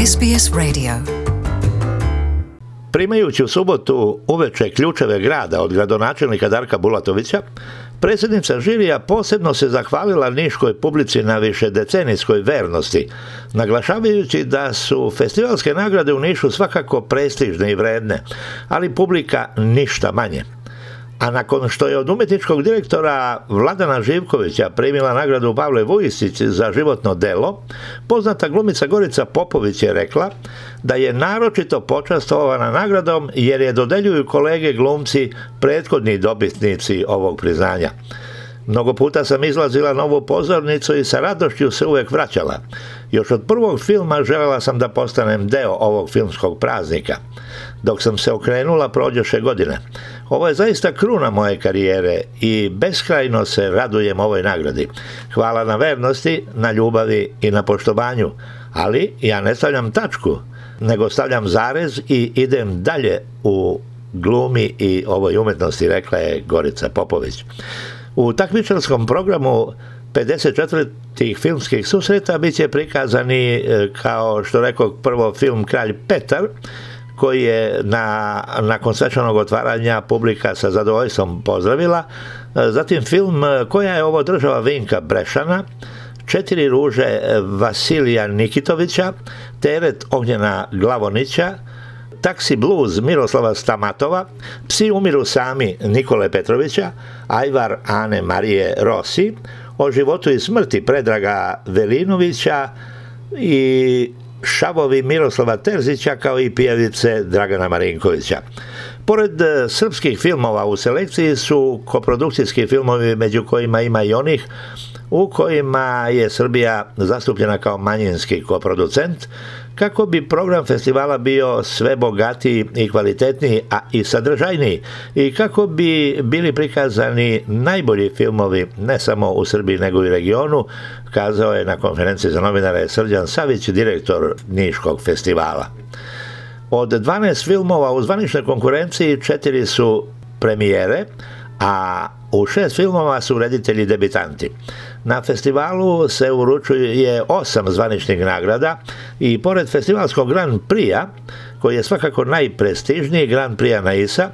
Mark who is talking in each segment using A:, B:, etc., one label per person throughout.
A: SBS Radio.
B: Primajući u subotu uveče ključeve grada od gradonačelnika Darka Bulatovića, predsjednica žirija posebno se zahvalila niškoj publici na višedecenijskoj vernosti, naglašavajući da su festivalske nagrade u Nišu svakako prestižne i vredne, ali publika ništa manje. A nakon što je od umjetničkog direktora Vladana Živkovića primila nagradu Pavle Vujisić za životno delo, poznata glumica Gorica Popović je rekla da je naročito počastvovana nagradom jer je dodeljuju kolege glumci prethodni dobitnici ovog priznanja. Mnogo puta sam izlazila na ovu pozornicu i sa radošću se uvek vraćala. Još od prvog filma želela sam da postanem deo ovog filmskog praznika. Dok sam se okrenula, prođoše godine. Ovo je zaista kruna moje karijere i beskrajno se radujem ovoj nagradi. Hvala na vernosti, na ljubavi i na poštovanju. Ali ja ne stavljam tačku, nego stavljam zarez i idem dalje u glumi i ovoj umetnosti, rekla je Gorica Popović. U takmičarskom programu 54. filmskih susreta bit će prikazani, kao što rekao, prvo film Kralj Petar, koji je nakon svečanog otvaranja publika sa zadovoljstvom pozdravila. Zatim film Koja je ovo država Vinka Brešana, Četiri ruže Vasilija Nikitovića, Teret Ognjena Glavonića, Taksi Blues Miroslava Stamatova, Psi umiru sami Nikole Petrovića, Ajvar Ane Marije Rossi, O životu i smrti Predraga Velinovića i Šavovi Miroslava Terzića, kao i Pijavice Dragana Marinkovića. Pored srpskih filmova u selekciji su koprodukcijski filmovi, među kojima ima i onih u kojima je Srbija zastupljena kao manjinski koproducent, kako bi program festivala bio sve bogatiji i kvalitetniji, a i sadržajniji, i kako bi bili prikazani najbolji filmovi ne samo u Srbiji nego i regionu, kazao je na konferenciji za novinare Srđan Savić, direktor Niškog festivala. Od 12 filmova u zvaničnoj konkurenciji 4 su premijere, a u 6 filmova su reditelji debitanti. Na festivalu se uručuje 8 zvaničnih nagrada i pored festivalskog Grand Prix-a, koji je svakako najprestižniji, Grand Prix Naisa,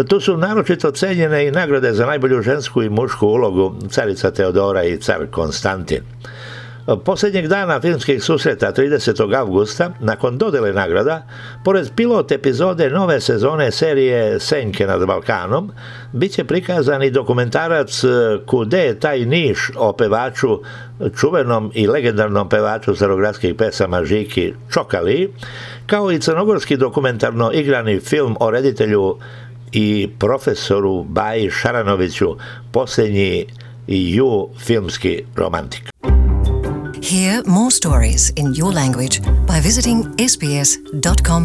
B: tu su naročito cenjene i nagrade za najbolju žensku i mušku ulogu Carica Teodora i Car Konstantin. Posljednjeg dana filmskih susreta 30. avgusta, nakon dodele nagrada, pored pilot epizode nove sezone serije Senke nad Balkanom, bit će prikazan i dokumentarac Kude je taj Niš o pevaču, čuvenom i legendarnom pevaču starogradskih pesama Žiki Čokali, kao i crnogorski dokumentarno igrani film o reditelju i profesoru Baji Šaranoviću, posljednji ju filmski romantik.
A: Hear more stories in your language by visiting sbs.com.au.